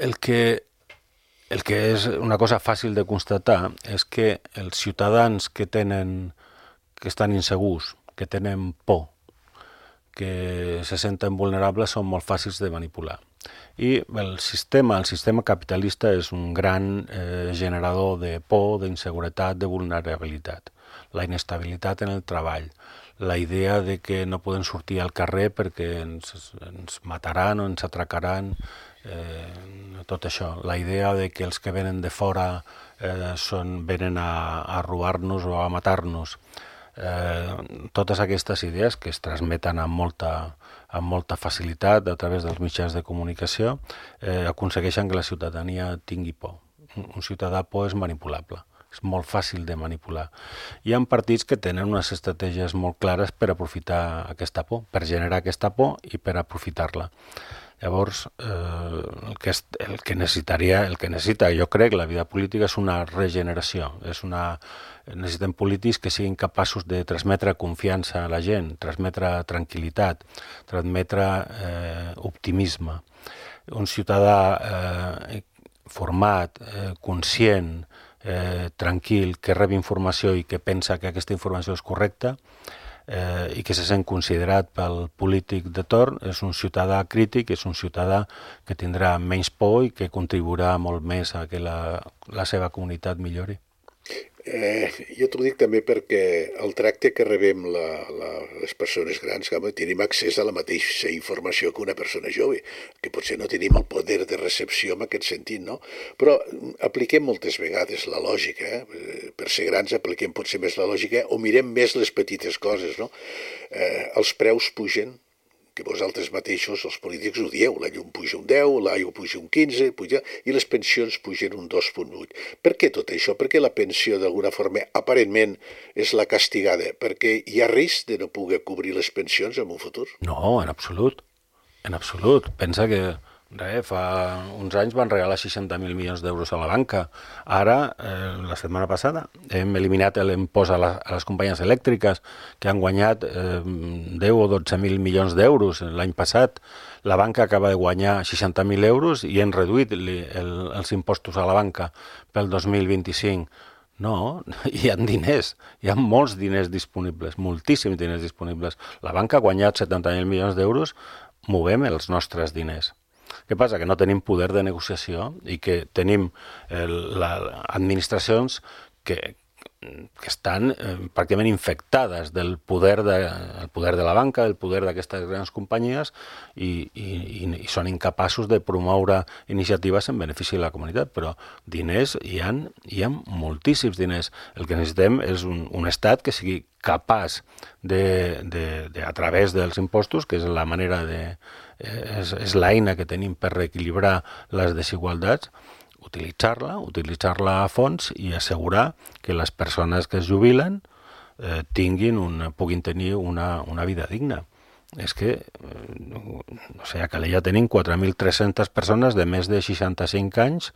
el que és una cosa fàcil de constatar és que els ciutadans que estan insegurs, que tenen por, que se senten vulnerables, són molt fàcils de manipular. I el sistema capitalista és un gran generador de por, d'inseguretat, de vulnerabilitat. La inestabilitat en el treball, la idea de que no podem sortir al carrer perquè ens mataran o ens atracaran, tot això, la idea de que els que venen de fora venen a robar-nos o a matar-nos, totes aquestes idees que es transmeten amb molta facilitat a través dels mitjans de comunicació aconsegueixen que la ciutadania tingui por. Un ciutadà por és manipulable, és molt fàcil de manipular. Hi ha partits que tenen unes estratègies molt clares per aprofitar aquesta por, per generar aquesta por i per aprofitar-la. Llavors, el que necessita, jo crec, la vida política és una regeneració. Necessitem polítics que siguin capaços de transmetre confiança a la gent, transmetre tranquil·litat, transmetre optimisme. Un ciutadà format, conscient, tranquil, que rep informació i que pensa que aquesta informació és correcta, i que se sent considerat pel polític de torn, és un ciutadà crític, és un ciutadà que tindrà menys por i que contribuirà molt més a que la seva comunitat millori. Jo t'ho dic també perquè el tracte que rebem les persones grans, tenim accés a la mateixa informació que una persona jove, que potser no tenim el poder de recepció en aquest sentit, no? Però apliquem moltes vegades la lògica, per ser grans apliquem potser més la lògica o mirem més les petites coses, no? Els preus pugen que vosaltres mateixos, els polítics, ho dieu, la llum puja un 10, l'aigua puja un 15, i les pensions pugen un 2,8. Per què tot això? Per què la pensió, d'alguna forma, aparentment, és la castigada? Perquè hi ha risc de no poder cobrir les pensions en un futur? No, en absolut. En absolut. Pensa que fa uns anys van regalar 60.000 milions d'euros a la banca. Ara, la setmana passada, hem eliminat l'impost a les companyies elèctriques que han guanyat 10 o 12.000 milions d'euros l'any passat. La banca acaba de guanyar 60.000 euros i hem reduït els impostos a la banca pel 2025. No, hi ha diners, hi ha molts diners disponibles, moltíssims diners disponibles. La banca ha guanyat 70.000 milions d'euros, movem els nostres diners. Què passa? Que no tenim poder de negociació i que tenim administracions que estan pràcticament infectades del poder de la banca, del poder d'aquestes grans companyies i són incapaços de promoure iniciatives en benefici de la comunitat. Però diners hi ha moltíssims diners. El que necessitem és un estat que sigui capaç a través dels impostos, que és la manera és l'eina que tenim per reequilibrar les desigualtats, utilitzar-la a fons i assegurar que les persones que es jubilen puguin tenir una vida digna. És que, no sé, a Calella tenim 4.300 persones de més de 65 anys,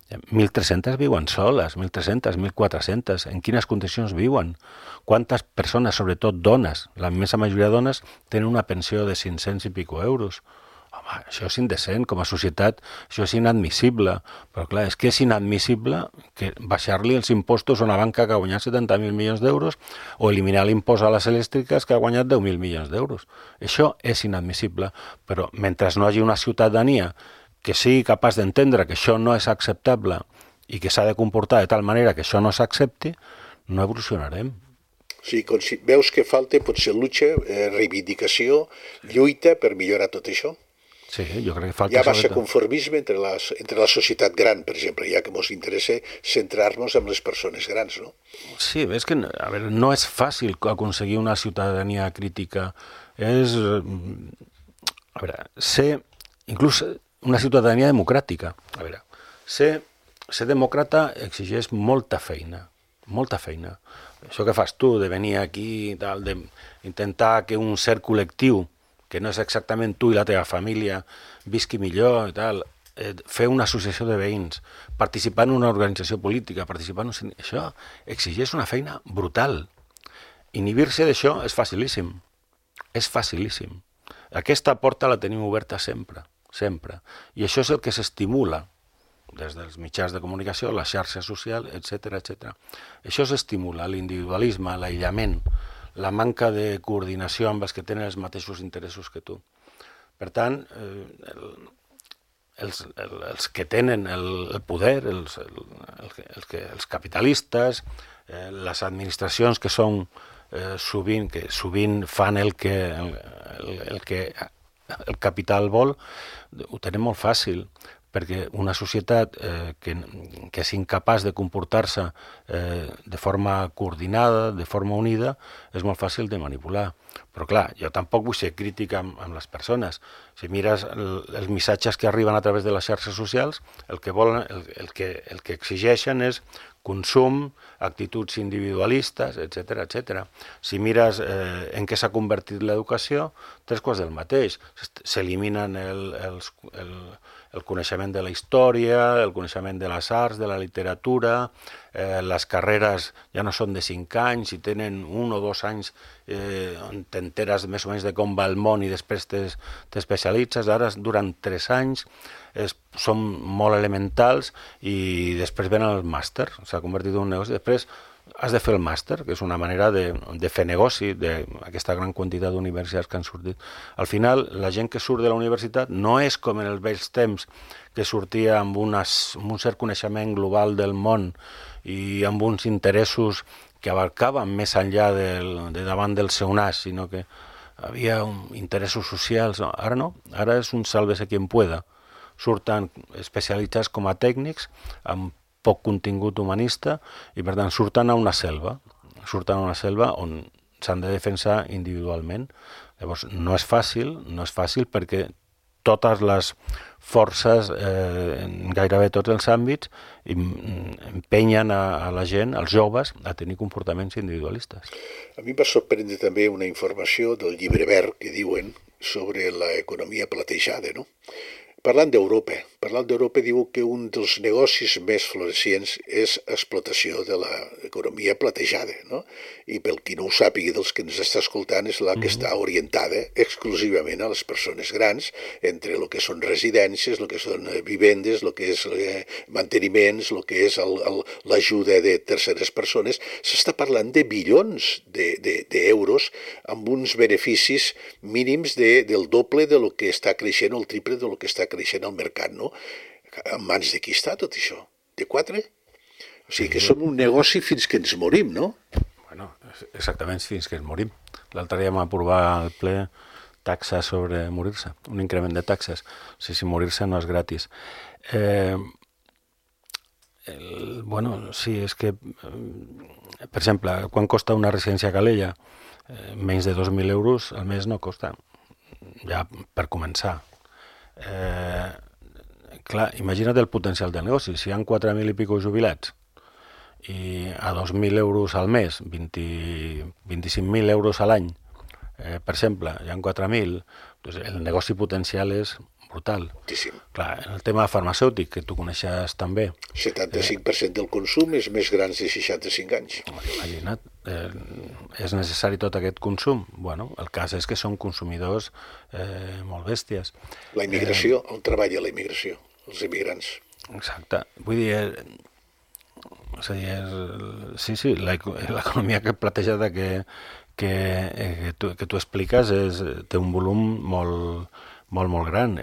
1.300 viuen soles, 1.300, 1.400. En quines condicions viuen? Quantes persones, sobretot dones, la immensa majoria de dones, tenen una pensió de 500 i pico euros? Home, això és indecent, com a societat, això és inadmissible. Però clar, és que és inadmissible que baixar-li els impostos a una banca que ha guanyat 70.000 milions d'euros o eliminar l'impost a les elèctriques que ha guanyat 10.000 milions d'euros. Això és inadmissible, però mentre no hi hagi una ciutadania que sigui capaç d'entendre que això no és acceptable i que s'ha de comportar de tal manera que això no s'accepti, no evolucionarem. Sí, veus que falta potser lucha, reivindicació, lluita per millorar tot això? Sí, jo crec que falta... Hi ha massa conformisme entre la societat gran, per exemple, ja que ens interessa centrar-nos en les persones grans, no? Sí, és que no és fàcil aconseguir una ciutadania crítica. És... ser... Inclús una ciutadania democràtica. Ser demòcrata exigeix molta feina, molta feina. Això que fas tu, de venir aquí, d'intentar que un cert col·lectiu, que no és exactament tu i la teva família, visqui millor i tal, fer una associació de veïns, participar en una organització política, això exigeix una feina brutal. Inhibir-se d'això és facilíssim. És facilíssim. Aquesta porta la tenim oberta sempre. Sempre. I això és el que s'estimula des dels mitjans de comunicació, la xarxa social, etc. Això s'estimula, l'individualisme, l'aïllament, la manca de coordinació amb els que tenen els mateixos interessos que tu. Per tant, els que tenen el poder, els capitalistes, les administracions que són sovint fan el que el capital vol, ho tenen molt fàcil, perquè una societat que és incapaç de comportar-se de forma coordinada, de forma unida, és molt fàcil de manipular. Però clar, jo tampoc vull ser crític amb les persones. Si mires els missatges que arriben a través de les xarxes socials, el que exigeixen és consum, actituds individualistes, etc. Si mires en què s'ha convertit l'educació, 3 quarts del mateix. S'eliminen el coneixement de la història, el coneixement de les arts, de la literatura, les carreres ja no són de 5 anys, i tenen 1 o 2 anys on t'enteres més o menys de com va el món i després t'especialitzes. Ara duren 3 anys, són molt elementals i després venen el màster, s'ha convertit en un negoci. Després has de fer el màster, que és una manera de fer negoci d'aquesta gran quantitat d'universitats que han sortit. Al final, la gent que surt de la universitat no és com en els vells temps, que sortia amb un cert coneixement global del món i amb uns interessos que abarcaven més enllà de davant del seu nas, sinó que havia interessos socials. Ara no, ara és un sálvese quien pueda. Surten especialitzats com a tècnics, amb poc contingut humanista, i per tant surten a una selva on s'han de defensar individualment. Llavors, no és fàcil perquè totes les forces, en gairebé tots els àmbits, empenyen a la gent, als joves, a tenir comportaments individualistes. A mi em va sorprendre també una informació del llibre verd que diuen sobre l'economia platejada, no? Parlant d'Europa diu que un dels negocis més florecients és explotació de l'economia platejada, no? I pel qui no ho sàpiga dels que ens està escoltant és la que està orientada exclusivament a les persones grans, entre el que són residències, el que són vivendes, el que és manteniments, el que és l'ajuda de terceres persones. S'està parlant de bilions d'euros amb uns beneficis mínims del doble de lo que està creixent o el triple de lo que està creixent al mercat, no? En mans de qui està tot això? De 4? O sigui que som un negoci fins que ens morim, no? Bueno, exactament, fins que ens morim. L'altre dia vam aprovar al ple taxes sobre morir-se, un increment de taxes. O sigui, si morir-se no és gratis. Sí, és que, per exemple, quan costa una residència a Calella? Menys de 2.000 euros al mes no costa, ja per començar. Clar, imagina't el potencial del negoci. Si hi ha 4.000 i pico jubilats i a 2.000 euros al mes, 25.000 euros a l'any, per exemple, hi ha 4.000, doncs el negoci potencial és brutal. Moltíssim. Clar, en el tema farmacèutic, que tu coneixes també. 75% del consum és més grans de 65 anys. Imagina't, és necessari tot aquest consum? Bueno, el cas és que són consumidors molt bèsties. La immigració, on treballa la immigració? Els immigrants. Exacte. Vull dir, sí, l'economia platejada que tu expliques té un volum molt gran.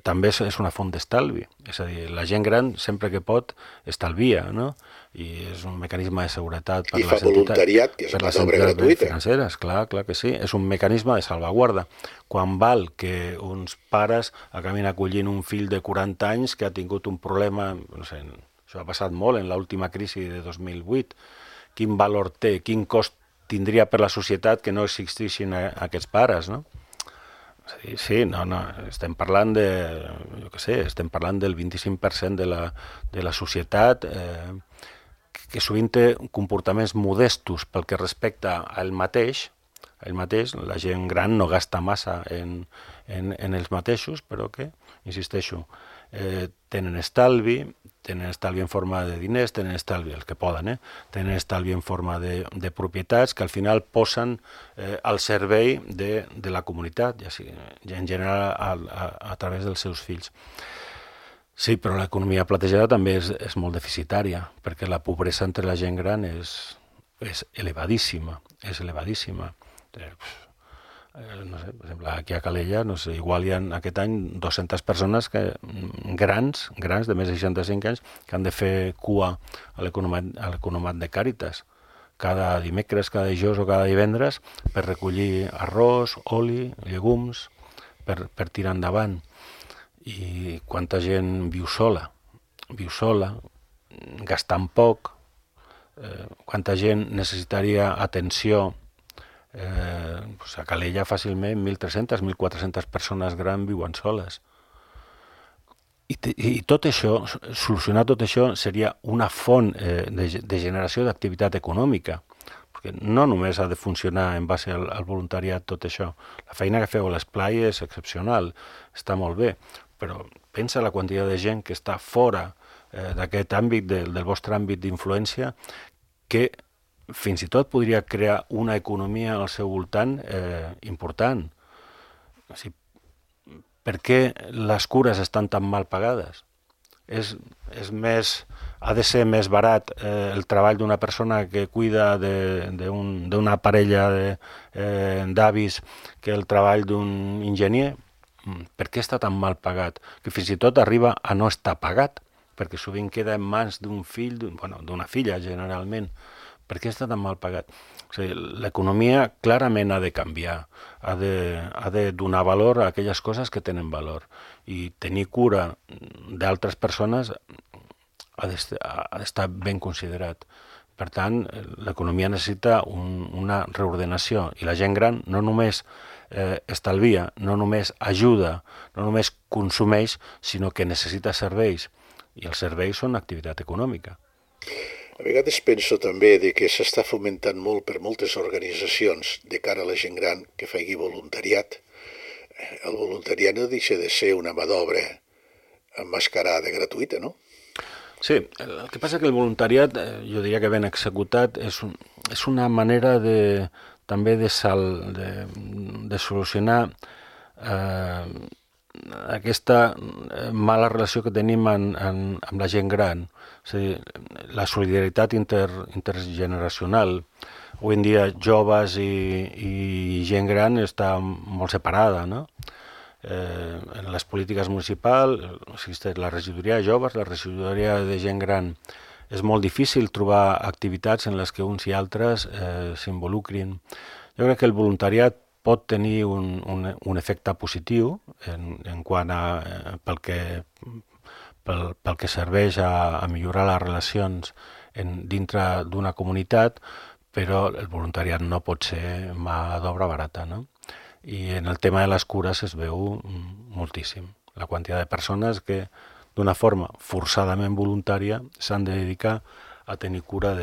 També és una font d'estalvi. És a dir, la gent gran, sempre que pot, estalvia, no? I és un mecanisme de seguretat per les entitats. I fa voluntariat, que és una obra gratuïta. Financeres, clar que sí. És un mecanisme de salvaguarda. Quan val que uns pares acabin acollint un fill de 40 anys que ha tingut un problema, no sé, això ha passat molt en l'última crisi de 2008, quin valor té, quin cost tindria per la societat que no existissin aquests pares, no? Sí, no, estem parlant estem parlant del 25% de la societat que sovint té comportaments modestos pel que respecta a ell mateix, la gent gran no gasta massa en ells mateixos, però que, insisteixo, tenen estalvi en forma de diners, tenen estalvi, els que poden, tenen estalvi en forma de propietats que al final posen al servei de la comunitat, ja en general a través dels seus fills. Sí, però l'economia platejada també és molt deficitària, perquè la pobresa entre la gent gran és elevadíssima, no sé, per exemple, aquí a Calella, no sé, igual hi ha aquest any 200 persones grans de més de 65 anys que han de fer cua a l'economat de Càritas cada dimecres, cada dijous o cada divendres per recollir arròs, oli, llegums, per tirar endavant. I quanta gent viu sola, gastant poc, quanta gent necessitaria atenció. A Calella fàcilment 1.300, 1.400 persones grans viuen soles. I tot això, solucionar tot això seria una font de generació d'activitat econòmica, perquè no només ha de funcionar en base al voluntariat tot això. La feina que feu a l'esplai és excepcional, està molt bé, però pensa la quantitat de gent que està fora d'aquest àmbit, del vostre àmbit d'influència, que fins i tot podria crear una economia al seu voltant important. O sigui, per què les cures estan tan mal pagades? Ha de ser més barat el treball d'una persona que cuida d'una parella d'avis que el treball d'un enginyer? Per què està tan mal pagat? Que fins i tot arriba a no estar pagat, perquè sovint queda en mans d'un fill, d'una filla generalment. Per què està tan mal pagat? O sigui, l'economia clarament ha de canviar, ha de donar valor a aquelles coses que tenen valor i tenir cura d'altres persones ha d'estar ben considerat, Per tant, l'economia necessita una reordenació i la gent gran no només estalvia, no només ajuda, no només consumeix, sinó que necessita serveis. I els serveis són activitat econòmica. A vegades penso també de que s'està fomentant molt per moltes organitzacions de cara a la gent gran que faci voluntariat. El voluntariat no deixa de ser una mà d'obra emmascarada gratuïta, no? Sí, el que passa que el voluntariat, jo diria que ben executat, és una manera també de solucionar aquesta mala relació que tenim amb la gent gran. És a dir, la solidaritat intergeneracional. Avui en dia, joves i gent gran està molt separada, no? En les polítiques municipals existeix la regidoria de joves, la regidoria de gent gran. És molt difícil trobar activitats en les que uns i altres s'involucrin. Jo crec que el voluntariat pot tenir un efecte positiu en quant pel que serveix a millorar les relacions dintre d'una comunitat, però el voluntariat no pot ser mà d'obra barata, no? I en el tema de les cures es veu moltíssim. La quantitat de persones que d'una forma forçadament voluntària s'han de dedicar a tenir cura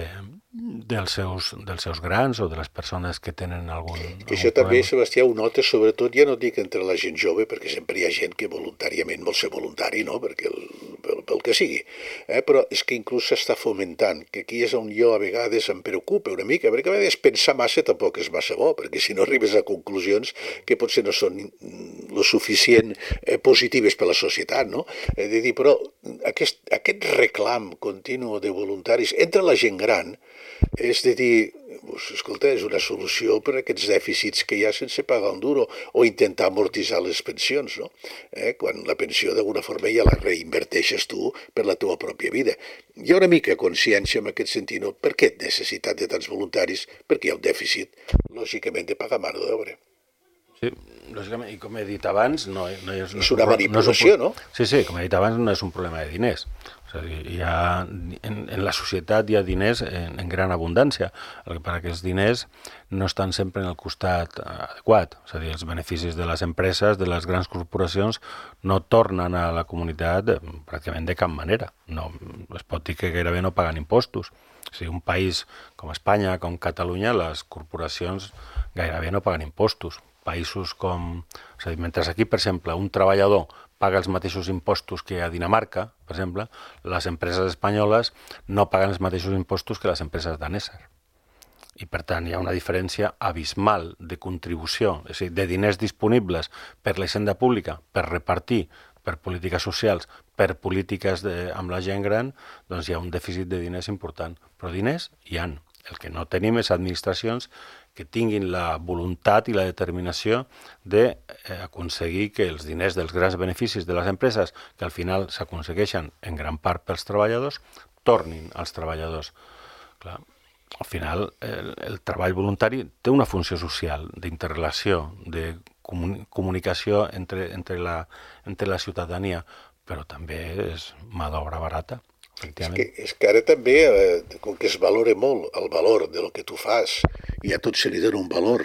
dels seus grans o de les persones que tenen algun això també, Sebastià, ho nota sobretot, ja no dic entre la gent jove, perquè sempre hi ha gent que voluntàriament vol ser voluntari, no? Perquè pel que sigui. Però és que inclús s'està fomentant, que aquí és on jo a vegades em preocupa una mica, perquè a vegades pensar massa tampoc és massa bo, perquè si no arribes a conclusions que potser no són lo suficient positives per a la societat, no? De dir, però aquest reclam continu de voluntaris entre la gent gran és de dir, escolta, és una solució per a aquests dèficits que hi ha sense pagar un duro, o intentar amortitzar les pensions, no? Quan la pensió d'alguna forma ja la reinverteixes tu per la teva pròpia vida. Hi ha una mica consciència en aquest sentit, no? Per què necessitat de tants voluntaris? Perquè hi ha un dèficit, lògicament, de pagar mà d'obra. Sí, lògicament, i com he dit abans, no és una manipulació, no? Sí, com he dit abans, no és un problema de diners. O sigui, en la societat hi ha diners en gran abundància. El que passa que els diners no estan sempre en el costat adequat. És a dir, els beneficis de les empreses, de les grans corporacions, no tornen a la comunitat pràcticament de cap manera. No, es pot dir que gairebé no paguen impostos. O sigui, un país com Espanya, com Catalunya, les corporacions gairebé no paguen impostos. Països com... És a dir, mentre aquí, per exemple, un treballador paga els mateixos impostos que a Dinamarca, per exemple, les empreses espanyoles no paguen els mateixos impostos que les empreses daneses. I, per tant, hi ha una diferència abismal de contribució, és a dir, de diners disponibles per la hisenda pública, per repartir, per polítiques socials, per polítiques amb la gent gran, doncs hi ha un dèficit de diners important. Però diners hi ha. El que no tenim és administracions que tinguin la voluntat i la determinació d'aconseguir que els diners dels grans beneficis de les empreses, que al final s'aconsegueixen en gran part pels treballadors, tornin als treballadors. Clar, al final, el treball voluntari té una funció social, d'interrelació, de comunicació entre la ciutadania, però també és mà d'obra barata. És que ara també, com que es valora molt el valor de lo que tu fas i a tot se li dona un valor,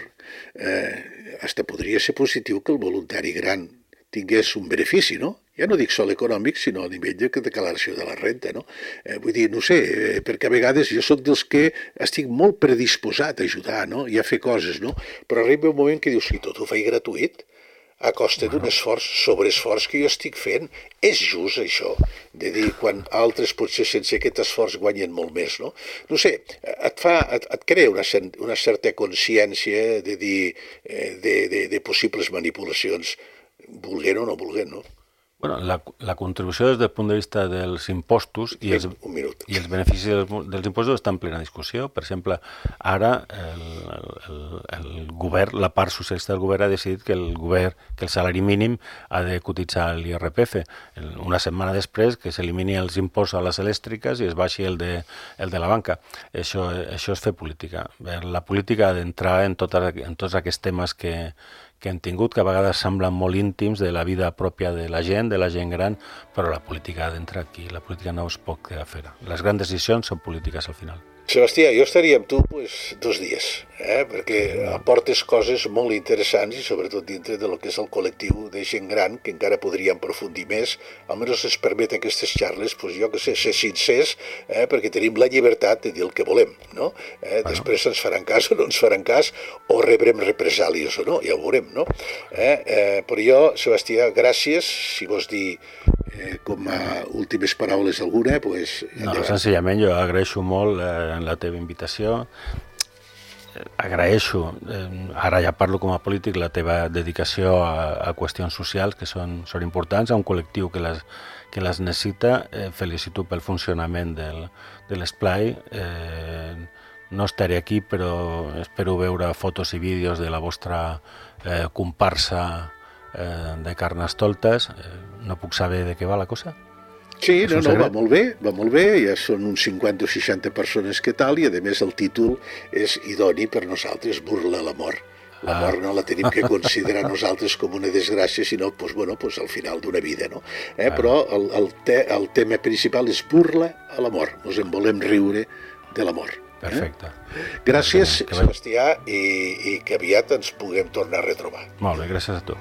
hasta podria ser positiu que el voluntari gran tingués un benefici, no? Ja no dic sol econòmic, sinó a nivell de declaració de la renta, no? Vull dir, no sé, perquè a vegades jo sóc dels que estic molt predisposat a ajudar, no? I a fer coses, no? Però arriba un moment que dius, si tot ho faig gratuït, a costa d'un esforç, sobreesforç que jo estic fent, és just això, de dir, quan altres potser sense aquest esforç guanyen molt més, no? No sé, et crea una certa consciència de dir, de possibles manipulacions, volguent o no volguent, no? Bueno, la contribució des del punt de vista dels impostos i els beneficis dels impostos està en plena discussió. Per exemple, ara el govern, la part socialista del govern ha decidit que el salari mínim ha de cotitzar l'IRPF. Una setmana després que s'elimini els impostos a les elèctriques i es baixi el de la banca. Això és fer política. La política ha d'entrar en tots aquests temes que hem tingut, que a vegades semblen molt íntims de la vida pròpia de la gent gran, però la política ha d'entrar aquí. La política no es pot quedar fora. Les grans decisions són polítiques al final. Sebastià, jo estaria amb tu 2 dies, perquè aportes coses molt interessants i sobretot dintre de lo que és el col·lectiu de gent gran que encara podríem aprofundir més, almenys ens permet aquestes xarles, jo que sé, ser sincers, perquè tenim la llibertat de dir el que volem, no? Després ens faran cas o no ens faran cas, o rebrem represàlies o no, ja ho veurem, no? Però jo, Sebastià, gràcies, si vols dir com a últimes paraules alguna, doncs... No, senzillament jo agraeixo molt la teva invitació, agraeixo, ara ja parlo com a polític, la teva dedicació a qüestions socials que són importants, a un col·lectiu que les necessita. Felicito pel funcionament de l'esplai. No estaré aquí, però espero veure fotos i vídeos de la vostra comparsa de Carnestoltes. No puc saber de què va la cosa? Sí, no, va molt bé, ja són uns 50 o 60 persones que tal, i a més el títol és idoni per nosaltres, burla a la mort. La mort no la tenim que considerar nosaltres com una desgràcia, sinó al final d'una vida, no? Però el tema principal és burla a la mort, ens en volem riure de la mort. Perfecte. Gràcies, Sebastià, i que aviat ens puguem tornar a retrobar. Molt bé, gràcies a tu.